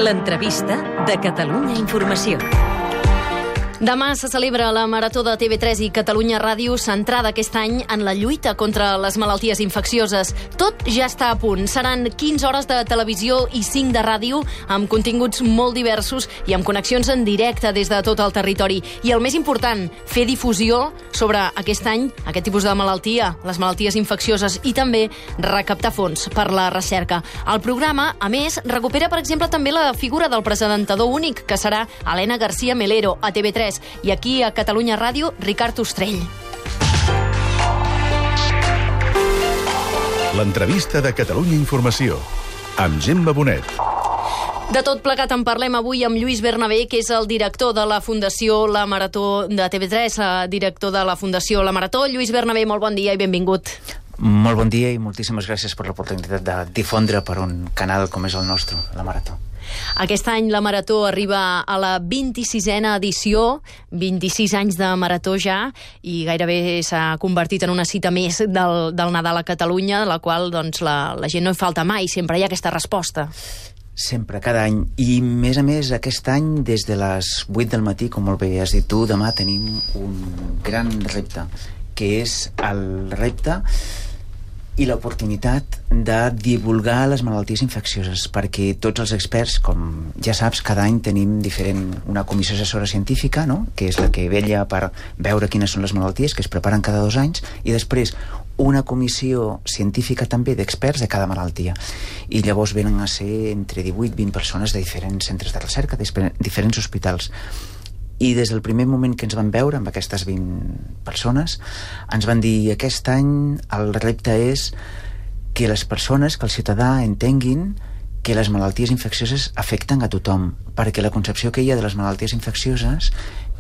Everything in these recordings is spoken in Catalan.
L'entrevista de Catalunya Informació. Demà se celebra la Marató de TV3 i Catalunya Ràdio, centrada aquest any en la lluita contra les malalties infeccioses. Tot ja està a punt. Seran 15 hores de televisió i 5 de ràdio, amb continguts molt diversos i amb connexions en directe des de tot el territori. I el més important, fer difusió sobre aquest any, aquest tipus de malaltia, les malalties infeccioses, i també recaptar fons per la recerca. El programa, a més, recupera, per exemple, també la figura del presentador únic, que serà Elena García Melero, a TV3. I aquí, a Catalunya Ràdio, Ricard Ostrell. L'entrevista de Catalunya Informació, amb Gemma Bonet. De tot plegat en parlem avui amb Lluís Bernabé, que és el director de la Fundació La Marató de TV3, director de la Fundació La Marató. Lluís Bernabé, molt bon dia i benvingut. Molt bon dia i moltíssimes gràcies per l'oportunitat de difondre per un canal com és el nostre, La Marató. Aquest any la Marató arriba a la 26a edició, 26 anys de Marató ja, i gairebé s'ha convertit en una cita més del Nadal a Catalunya, de la qual doncs, la gent no hi falta mai, sempre hi ha aquesta resposta. Sempre, cada any. I, a més, aquest any, des de les 8 del matí, com molt bé has dit tu, demà tenim un gran repte, que és el repte i l'oportunitat de divulgar les malalties infeccioses, perquè tots els experts, com ja saps, cada any tenim una comissió assessora científica, no?, que és la que vetlla per veure quines són les malalties, que es preparen cada 2 anys, i després una comissió científica també d'experts de cada malaltia. I llavors venen a ser entre 18 i 20 persones de diferents centres de recerca, de diferents hospitals. I des del primer moment que ens van veure amb aquestes 20 persones ens van dir: aquest any el repte és que les persones, que el ciutadà entenguin que les malalties infeccioses afecten a tothom, perquè la concepció que hi ha de les malalties infeccioses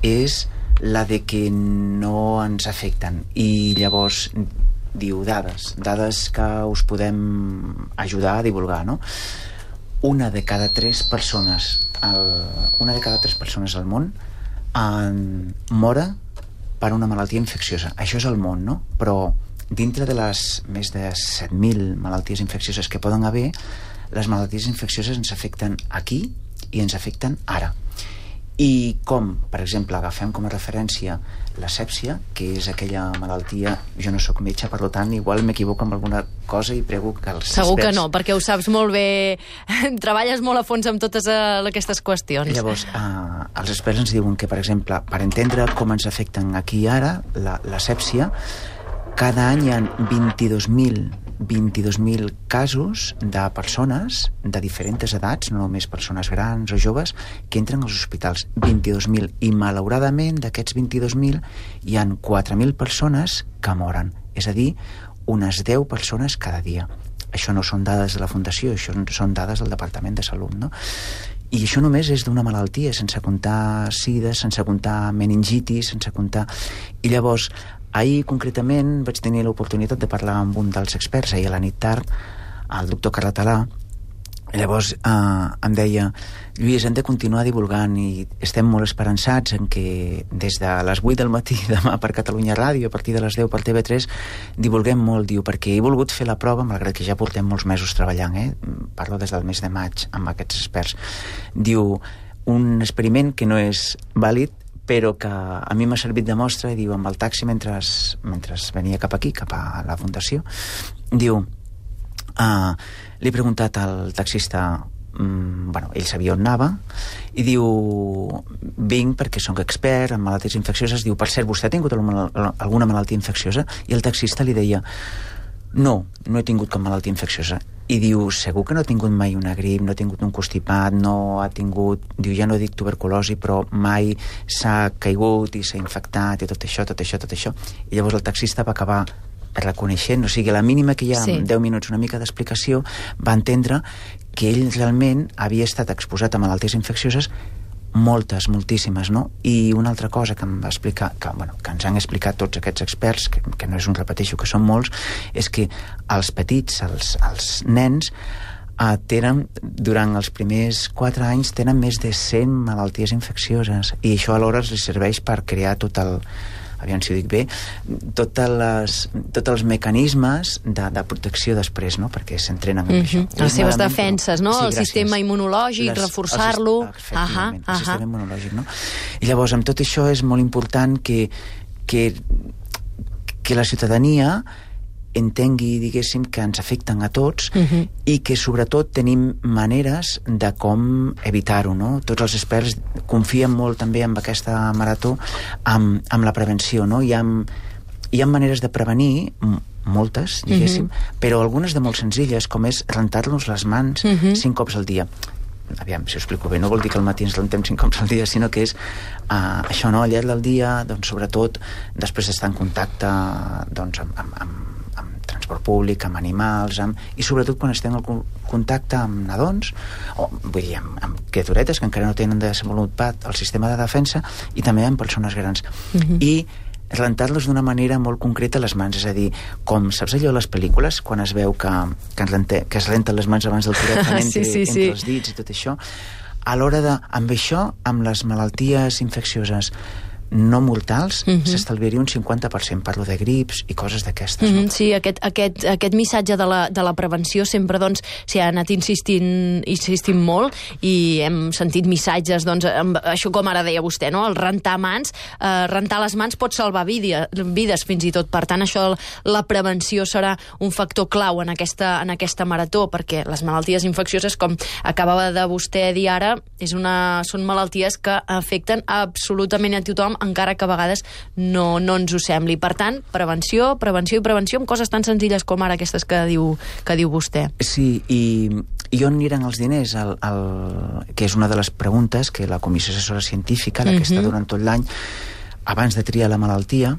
és la de que no ens afecten. I llavors diu dades que us podem ajudar a divulgar, no? Una de cada 3 persones al món mora per una malaltia infecciosa. Això és el món, no? Però dintre de les més de 7.000 malalties infeccioses que poden haver, les malalties infeccioses ens afecten aquí i ens afecten ara. I com, per exemple, agafem com a referència la sèpsia, que és aquella malaltia... Jo no sóc metge, per tant, igual m'equivoco amb alguna cosa i prego que els experts... Segur que no, perquè ho saps molt bé. Treballes molt a fons amb totes aquestes qüestions. Llavors, els experts ens diuen que, per exemple, per entendre com ens afecten aquí i ara, la sèpsia, cada any hi ha 22.000 casos de persones de diferents edats, no només persones grans o joves, que entren als hospitals. 22.000. I malauradament d'aquests 22.000 hi han 4.000 persones que moren. És a dir, unes 10 persones cada dia. Això no són dades de la Fundació, això són dades del Departament de Salut, no? I això només és d'una malaltia, sense comptar sida, sense comptar meningitis, sense comptar... I llavors, ahir concretament vaig tenir l'oportunitat de parlar amb un dels experts, ahir a la nit tard, el doctor Carratalà. Llavors em deia: Lluís, hem de continuar divulgant i estem molt esperançats en que des de les 8 del matí demà per Catalunya Ràdio, a partir de les 10 per TV3, divulguem molt, diu, perquè he volgut fer la prova, malgrat que ja portem molts mesos treballant, parlo des del mes de maig amb aquests experts. Diu, un experiment que no és vàlid, però que a mi m'ha servit de mostra, i diu, amb el taxi mentre venia cap aquí, cap a la Fundació, diu, li he preguntat al taxista, ell sabia on anava, i diu, vinc perquè soc expert en malalties infeccioses. Diu, per cert, vostè ha tingut alguna malaltia infecciosa? I el taxista li deia, no he tingut cap malaltia infecciosa. I diu, segur que no ha tingut mai una grip, no ha tingut un constipat, no ha tingut... Diu, ja no dic tuberculosi, però mai s'ha caigut i s'ha infectat i tot això. I llavors el taxista va acabar reconeixent, o sigui, a la mínima que hi ha, sí, 10 minuts, una mica d'explicació, va entendre que ell realment havia estat exposat a malalties infeccioses moltíssimes, no? I una altra cosa que em va explicar, que ens han explicat tots aquests experts, que no és un repeteixo, que són molts, és que els petits, els nens, tenen, durant els primers 4 anys, tenen més de 100 malalties infeccioses, i això alhora els serveix per crear tot aviam si ho dic bé, tots els mecanismes de protecció després, no? Perquè s'entrenen amb això. Les seves defenses, no? Sí, el sistema immunològic, reforçar-lo. Efectivament, el sistema immunològic, no? I llavors, amb tot això és molt important que la ciutadania entengui, diguéssim, que ens afecten a tots i que, sobretot, tenim maneres de com evitar-ho, no? Tots els experts confien molt també en aquesta marató amb la prevenció, no? Hi ha maneres de prevenir, moltes, diguéssim, però algunes de molt senzilles, com és rentar-nos les mans 5 cops al dia. Aviam, si ho explico bé, no vol dir que al matí ens rentem 5 cops al dia, sinó que és això, no? Al llarg del dia, doncs, sobretot, després d'estar en contacte, doncs, amb transport públic, amb animals, i sobretot quan estem en contacte amb nadons, o vull dir, amb criaturetes que encara no tenen desenvolupat el sistema de defensa, i també amb persones grans. I rentar-los d'una manera molt concreta les mans, és a dir, com saps allò a les pel·lícules, quan es veu que es renten les mans abans del tractament entre els dits i tot això, a l'hora de, amb això, amb les malalties infeccioses no mortals, s'estalviaria un 50%, parlo de grips i coses d'aquestes. No? Sí, aquest missatge de la prevenció sempre doncs s'hi ha anat insistint molt, i hem sentit missatges, doncs, això com ara deia vostè, no? El rentar mans, rentar les mans pot salvar vides fins i tot. Per tant, això, la prevenció serà un factor clau en aquesta marató, perquè les malalties infeccioses, com acabava de vostè dir ara, són malalties que afecten absolutament a tothom, encara que a vegades no ens ho sembli. Per tant, prevenció amb coses tan senzilles com ara aquestes que diu vostè. Sí, i on aniran els diners? Que és una de les preguntes que la Comissió Assessora Científica, la que està durant tot l'any, abans de triar la malaltia,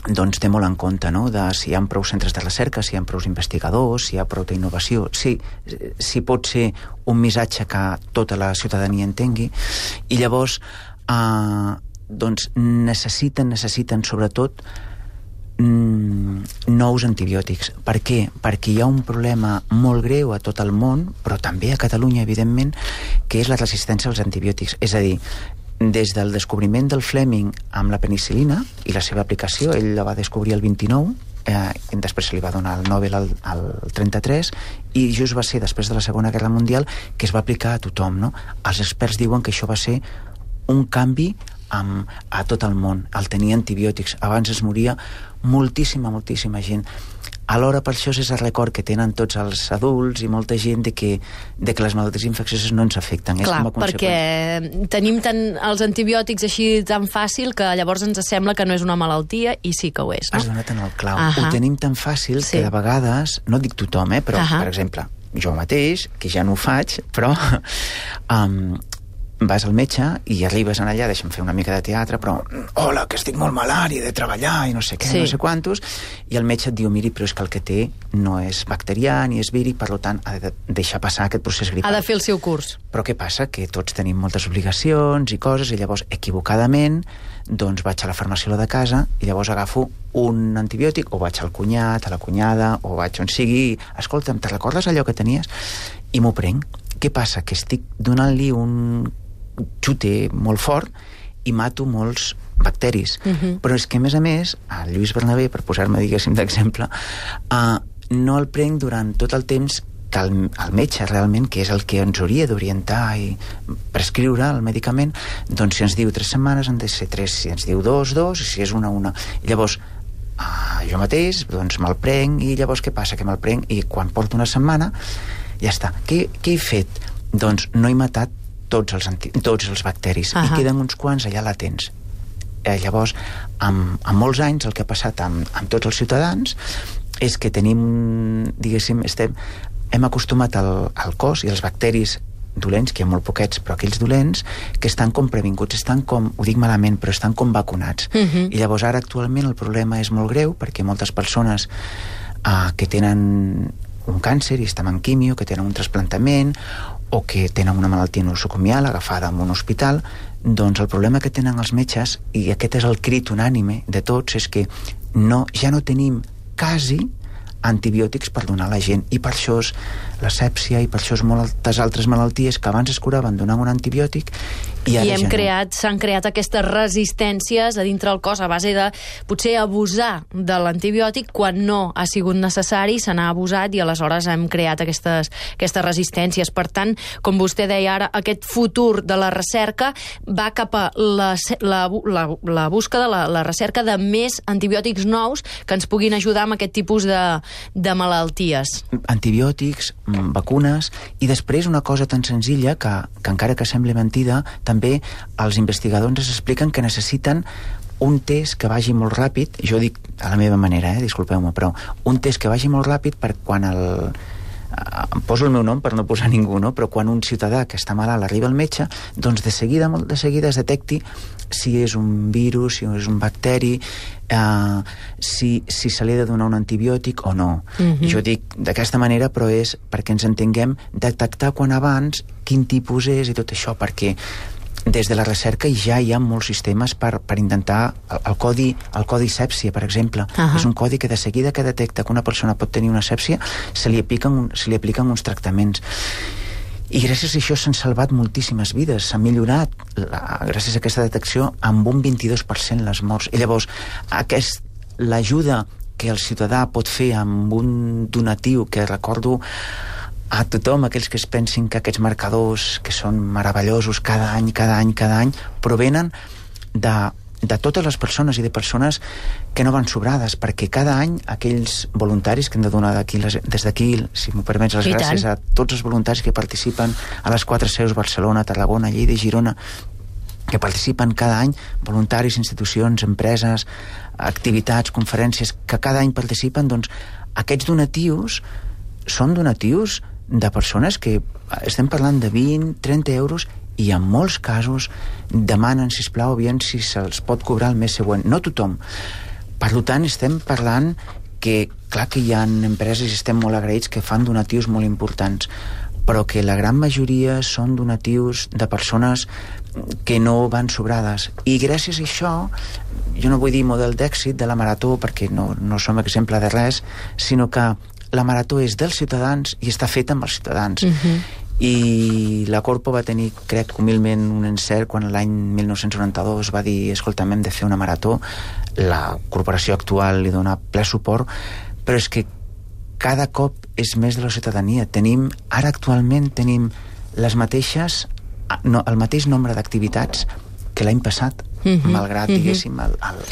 doncs té molt en compte, no?, de si hi ha prou centres de recerca, si hi ha prou investigadors, si hi ha prou d'innovació, si pot ser un missatge que tota la ciutadania entengui, i llavors doncs necessiten sobretot nous antibiòtics. Per què? Perquè hi ha un problema molt greu a tot el món, però també a Catalunya, evidentment, que és la resistència als antibiòtics. És a dir, des del descobriment del Fleming amb la penicil·lina i la seva aplicació, ell la va descobrir el 29, després se li va donar el Nobel al 33, i just va ser després de la Segona Guerra Mundial que es va aplicar a tothom, no? Els experts diuen que això va ser un canvi a tot el món, el tenir antibiòtics. Abans es moria moltíssima gent. Alhora, per això és el record que tenen tots els adults i molta gent de que les malalties infeccioses no ens afecten. Clar, perquè tenim els antibiòtics així tan fàcil que llavors ens sembla que no és una malaltia, i sí que ho és, no? Has donat en el clau. Ho tenim tan fàcil que de vegades, no dic tothom, però, per exemple, jo mateix, que ja no ho faig, però vas al metge i arribes allà, deixa'm fer una mica de teatre, però hola, que estic molt malalt i he de treballar i no sé què, no sé quantos, i el metge et diu, miri, però és que el que té no és bacterià ni és víric, per tant ha de deixar passar aquest procés gripal. Ha de fer el seu curs. Però què passa? Que tots tenim moltes obligacions i coses, i llavors equivocadament doncs vaig a la farmaciola de casa i llavors agafo un antibiòtic, o vaig al cunyat, a la cunyada, o vaig on sigui, escolta'm, te recordes allò que tenies? I m'ho prenc. Què passa? Que estic donant-li un xute molt fort i mato molts bacteris. Però és que, a més, el Lluís Bernabé, per posar-me, diguéssim, d'exemple, no el prenc durant tot el temps que el metge realment, que és el que ens hauria d'orientar i prescriure el medicament, doncs si ens diu 3 setmanes han de ser 3, si ens diu 2, i si és 1. I llavors jo mateix doncs me'l prenc, i llavors què passa? Que me'l prenc i quan porto una setmana ja està. Què he fet? Doncs no he matat tots els bacteris, i queden uns quants allà latents. Llavors, amb molts anys, el que ha passat amb tots els ciutadans és que tenim, diguéssim, hem acostumat al cos i els bacteris dolents, que hi ha molt poquets, però aquells dolents que estan com previnguts, estan com, ho dic malament, però estan com vacunats. I llavors ara actualment el problema és molt greu, perquè moltes persones que tenen un càncer i estan en quimio, que tenen un trasplantament o que tenen una malaltia nosocomial agafada en un hospital, doncs el problema que tenen els metges, i aquest és el crit unànime de tots, és que ja no tenim quasi antibiòtics per donar a la gent, i per això és la sèpsia, i per això és moltes altres malalties que abans es curaven donant un antibiòtic I s'han creat aquestes resistències a dintre el cos a base de potser abusar de l'antibiòtic quan no ha sigut necessari, se n'ha abusat i aleshores hem creat aquestes resistències. Per tant, com vostè deia ara, aquest futur de la recerca va cap a la búsqueda, la recerca de més antibiòtics nous que ens puguin ajudar amb aquest tipus de malalties. Antibiòtics, vacunes, i després una cosa tan senzilla que encara que sembli mentida, també els investigadors ens expliquen que necessiten un test que vagi molt ràpid, jo dic a la meva manera, disculpeu-me, però un test que vagi molt ràpid per quan poso el meu nom per no posar ningú, no? Però quan un ciutadà que està malalt arriba al metge, doncs de seguida, molt de seguida es detecti si és un virus, si és un bacteri, si se li ha de donar un antibiòtic o no. Jo dic d'aquesta manera, però és perquè ens entenguem detectar quan abans quin tipus és i tot això, perquè des de la recerca ja hi ha molts sistemes per intentar el codi sèpsia, per exemple. És un codi que de seguida que detecta que una persona pot tenir una sèpsia se li apliquen uns tractaments. I gràcies a això s'han salvat moltíssimes vides, s'ha millorat gràcies a aquesta detecció amb un 22% les morts. I llavors l'ajuda que el ciutadà pot fer amb un donatiu, que recordo a tothom, aquells que es pensin que aquests marcadors que són meravellosos cada any, provenen de totes les persones i de persones que no van sobrades, perquè cada any aquells voluntaris que hem de donar des d'aquí, si m'ho permets, les gràcies a tots els voluntaris que participen a les 4 seus, Barcelona, Tarragona, Lleida i Girona, que participen cada any, voluntaris, institucions, empreses, activitats, conferències, que cada any participen, doncs aquests donatius són donatius de persones que estem parlant de 20, 30 euros i en molts casos demanen, sisplau, aviam si se'ls pot cobrar el mes següent. No tothom. Per tant, estem parlant que, clar que hi ha empreses i estem molt agraïts que fan donatius molt importants, però que la gran majoria són donatius de persones que no van sobrades. I gràcies a això, jo no vull dir model d'èxit de la marató perquè no som exemple de res, sinó que la marató és dels ciutadans i està feta amb els ciutadans. I la Corpo va tenir, crec, humilment un encert quan l'any 1992 va dir, escolta'm, hem de fer una marató. La corporació actual li dona ple suport, però és que cada cop és més de la ciutadania. Ara actualment tenim el mateix nombre d'activitats que l'any passat, malgrat, diguéssim,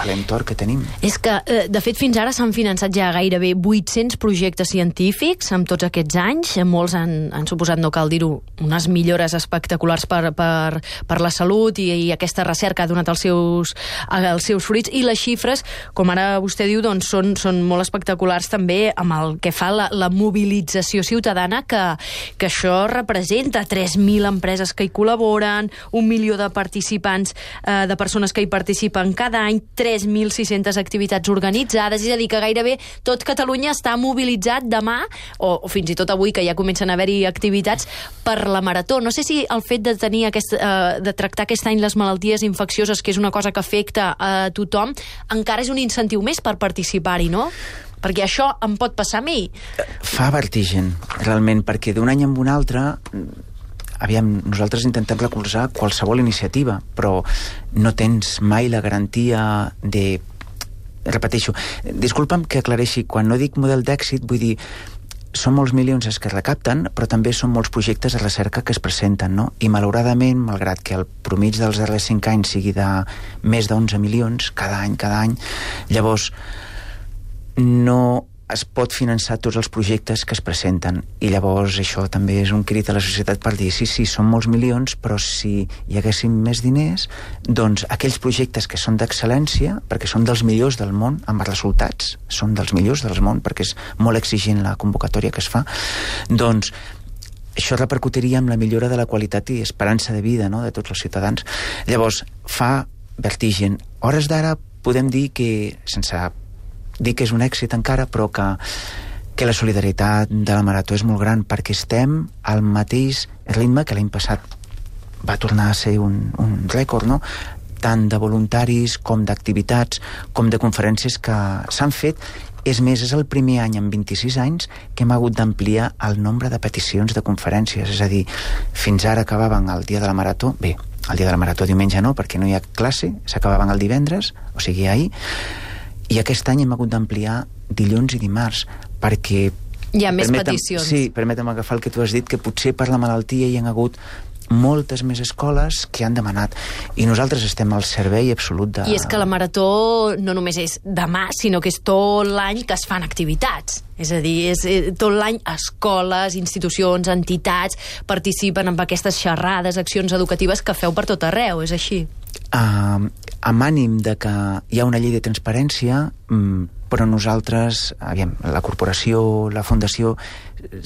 l'entorn que tenim. És que, de fet, fins ara s'han finançat ja gairebé 800 projectes científics amb tots aquests anys. Molts han suposat, no cal dir-ho, unes millores espectaculars per la salut i aquesta recerca ha donat els seus fruits. I les xifres, com ara vostè diu, doncs són molt espectaculars també amb el que fa la mobilització ciutadana que això representa. 3.000 empreses que hi col·laboren, 1 milió de participants, de persones que hi participen cada any, 3.600 activitats organitzades, és a dir, que gairebé tot Catalunya està mobilitzat demà, o fins i tot avui, que ja comencen a haver-hi activitats, per la marató. No sé si el fet de tenir de tractar aquest any les malalties infeccioses, que és una cosa que afecta a tothom, encara és un incentiu més per participar-hi, no? Perquè això em pot passar a mi. Fa vertigen, realment, perquè d'un any en un altre... Aviam, nosaltres intentem recolzar qualsevol iniciativa, però no tens mai la garantia de... Repeteixo, disculpa'm que aclareixi, quan no dic model d'èxit, vull dir, són molts milions els que es recapten, però també són molts projectes de recerca que es presenten, no? I malauradament, malgrat que el promig dels darrers 5 anys sigui de més d'11 milions cada any, llavors no es pot finançar tots els projectes que es presenten, i llavors això també és un crit a la societat per dir, sí, són molts milions, però si hi haguéssim més diners, doncs aquells projectes que són d'excel·lència, perquè són dels millors del món, amb els resultats, són dels millors del món, perquè és molt exigent la convocatòria que es fa, doncs això repercutiria en la millora de la qualitat i esperança de vida, no?, de tots els ciutadans. Llavors, fa vertigen. Hores d'ara podem dir que, sense dir que és un èxit encara, però que la solidaritat de la marató és molt gran, perquè estem al mateix ritme que l'any passat va tornar a ser un rècord, no?, tant de voluntaris com d'activitats, com de conferències que s'han fet. És més, és el primer any en 26 anys que hem hagut d'ampliar el nombre de peticions de conferències, és a dir, fins ara acabaven el dia de la marató, bé, el dia de la marató diumenge no, perquè no hi ha classe, s'acabaven el divendres, o sigui ahir, i aquest any hem hagut d'ampliar dilluns i dimarts, perquè... Hi ha més peticions. Sí, permetem agafar el que tu has dit, que potser per la malaltia hi ha hagut moltes més escoles que han demanat, i nosaltres estem al servei absolut de... I és que la marató no només és demà, sinó que és tot l'any que es fan activitats. És a dir, és tot l'any escoles, institucions, entitats participen en aquestes xerrades, accions educatives que feu per tot arreu, és així? Amb ànim de que hi ha una llei de transparència, però nosaltres, la corporació, la fundació,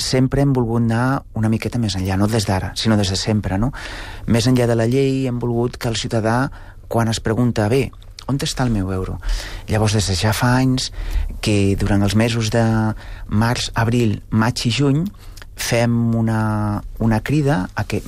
sempre hem volgut anar una miqueta més enllà, no des d'ara, sinó des de sempre, no? Més enllà de la llei hem volgut que el ciutadà, quan es pregunta, bé, on està el meu euro? Llavors, des de ja fa anys que durant els mesos de març, abril, maig i juny fem una crida a que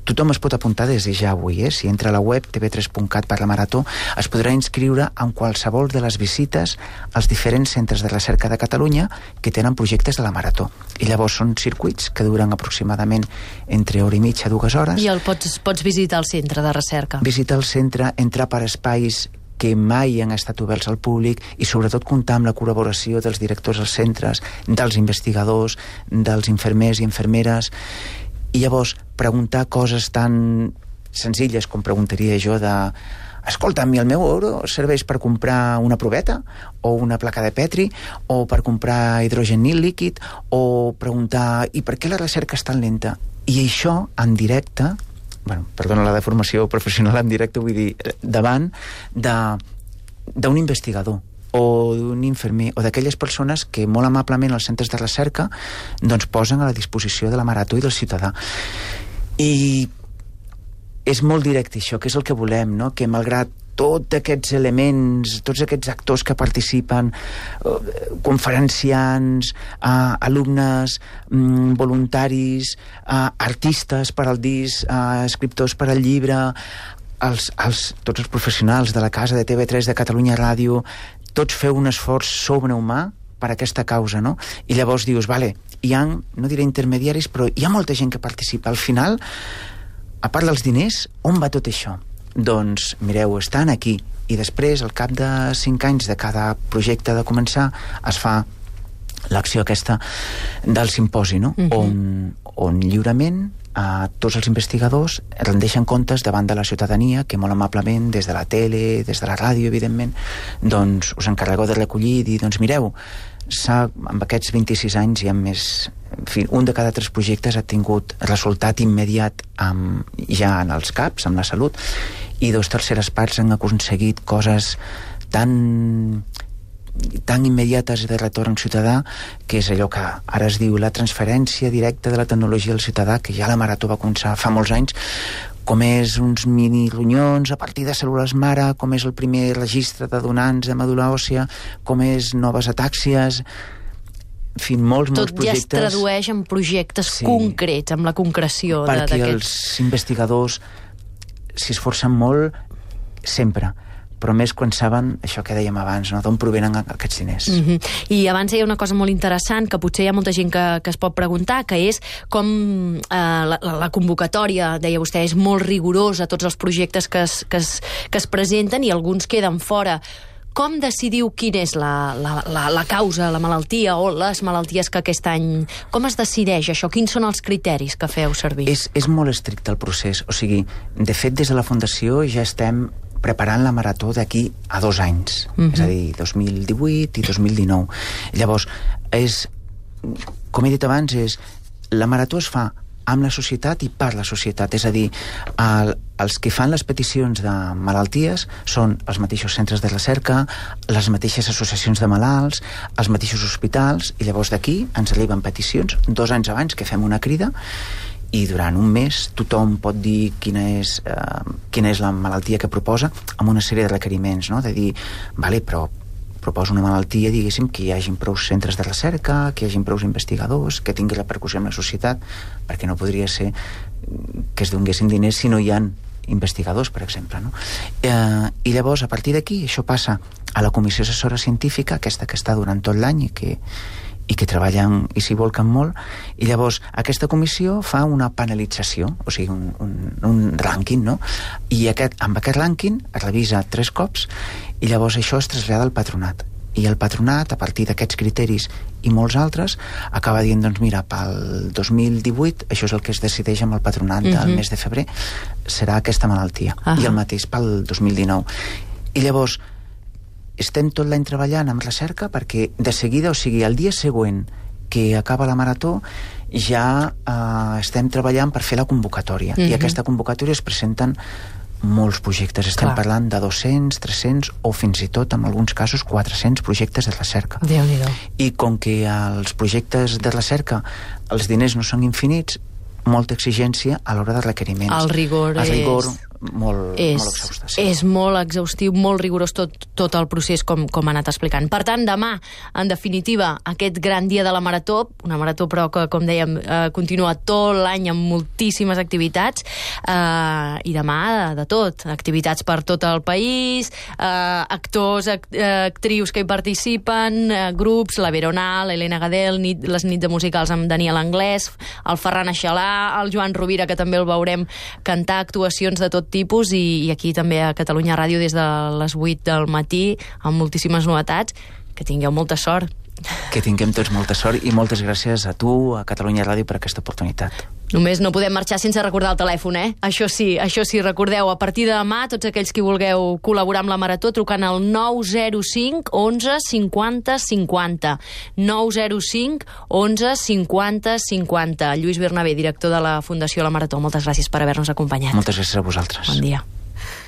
tothom es pot apuntar des de ja avui, si entra a la web tv3.cat per la marató, es podrà inscriure en qualsevol de les visites als diferents centres de recerca de Catalunya que tenen projectes de la marató. I llavors són circuits que duren aproximadament entre hora i mitja, 2 hores. I pots visitar el centre de recerca. Visitar el centre, entrar per espais que mai han estat oberts al públic i sobretot comptar amb la col·laboració dels directors dels centres, dels investigadors, dels infermers i infermeres. I llavors preguntar coses tan senzilles com preguntaria jo de escolta, a mi el meu euro serveix per comprar una proveta o una placa de Petri o per comprar hidrogen líquid, o preguntar i per què la recerca és tan lenta? I això en directe, perdona la deformació professional, en directe vull dir davant d'un investigador o d'un infermer, o d'aquelles persones que molt amablement als centres de recerca doncs posen a la disposició de la marató i del ciutadà. I és molt directe això, que és el que volem, no? Que malgrat tots aquests elements, tots aquests actors que participen, conferenciants, alumnes, voluntaris, artistes per al disc, escriptors per al llibre, tots els professionals de la casa de TV3, de Catalunya Ràdio, tots feu un esforç sobrehumà per aquesta causa, no? I llavors dius, vale, hi ha, no diré intermediaris, però hi ha molta gent que participa. Al final, a part dels diners, on va tot això? Doncs, mireu, estan aquí. I després, al cap de 5 anys de cada projecte de començar, es fa l'acció aquesta del simposi, no? On lliurement tots els investigadors rendeixen comptes davant de la ciutadania, que molt amablement, des de la tele, des de la ràdio, evidentment, doncs us encarregueu de recollir i dir, doncs mireu, amb aquests 26 anys hi ha més... En fi, un de cada 3 projectes ha tingut resultat immediat ja en els CAPs, amb la salut, i 2/3 parts han aconseguit coses tan immediates de retorn ciutadà, que és allò que ara es diu la transferència directa de la tecnologia al ciutadà, que ja la marató va començar fa molts anys, com és uns mini ronyons a partir de cèl·lules mare, com és el primer registre de donants de medul·la òssia, com és noves atàxies, en fi, molts projectes. Tot ja es tradueix en projectes concrets, amb la concreció d'aquests. Perquè els investigadors s'hi esforcen molt sempre, però més quan saben això que dèiem abans, no? D'on provenen aquests diners. I abans deia una cosa molt interessant, que potser hi ha molta gent que es pot preguntar, que és com la convocatòria, deia vostè, és molt rigorosa, tots els projectes que es presenten, i alguns queden fora. Com decidiu quina és la causa, la malaltia o les malalties que aquest any... Com es decideix això? Quins són els criteris que feu servir? És molt estricte el procés. O sigui, de fet, des de la Fundació ja estem preparant la marató d'aquí a 2 anys, és a dir, 2018 i 2019. Llavors, com he dit abans, la marató es fa amb la societat i per la societat, és a dir, els que fan les peticions de malalties són els mateixos centres de recerca, les mateixes associacions de malalts, els mateixos hospitals, i llavors d'aquí ens arriben peticions 2 anys abans que fem una crida, i durant un mes tothom pot dir quina és la malaltia que proposa, amb una sèrie de requeriments, no? De dir, vale, però proposa una malaltia, diguéssim, que hi hagi prou centres de recerca, que hi hagi prou investigadors, que tingui repercussió en la societat, perquè no podria ser que es donguessin diners si no hi ha investigadors, per exemple, no? I llavors, a partir d'aquí, això passa a la comissió assessora científica, aquesta que està durant tot l'any i que treballen i s'hi volquen molt, i llavors aquesta comissió fa una panelització, o sigui, un rànquing, no? I amb aquest rànquing es revisa 3 cops i llavors això es trasllada al patronat. I el patronat, a partir d'aquests criteris i molts altres, acaba dient, doncs mira, pel 2018, això és el que es decideix amb el patronat del mes de febrer, serà aquesta malaltia. I el mateix pel 2019. I llavors, estem tot l'any treballant amb recerca perquè de seguida, o sigui, el dia següent que acaba la marató, ja estem treballant per fer la convocatòria. I aquesta convocatòria es presenten molts projectes. Estem parlant de 200, 300 o fins i tot, en alguns casos, 400 projectes de recerca. Déu-n'hi-do. I com que els projectes de recerca, els diners no són infinits, molta exigència a l'hora de requeriments. El rigor molt exhaustiu. És molt exhaustiu, molt rigorós tot el procés, com ha anat explicant. Per tant, demà, en definitiva, aquest gran dia de la marató, una marató però que, com dèiem, continua tot l'any amb moltíssimes activitats, i demà de tot, activitats per tot el país, actors, actrius que hi participen, grups, la Veronal, Elena Gadel, les nits de musicals amb Daniel Anglès, el Ferran Aixalà, el Joan Rovira, que també el veurem cantar, actuacions de tot tipus, i aquí també a Catalunya Ràdio des de les 8 del matí amb moltíssimes novetats. Que tingueu molta sort. Que tinguem tots molta sort i moltes gràcies a tu, a Catalunya Ràdio, per aquesta oportunitat. Només no podem marxar sense recordar el telèfon, Això sí, recordeu, a partir de demà, tots aquells que vulgueu col·laborar amb la Marató, trucant al 905 11 50 50. 905 11 50 50. Lluís Bernabé, director de la Fundació La Marató, moltes gràcies per haver-nos acompanyat. Moltes gràcies a vosaltres. Bon dia.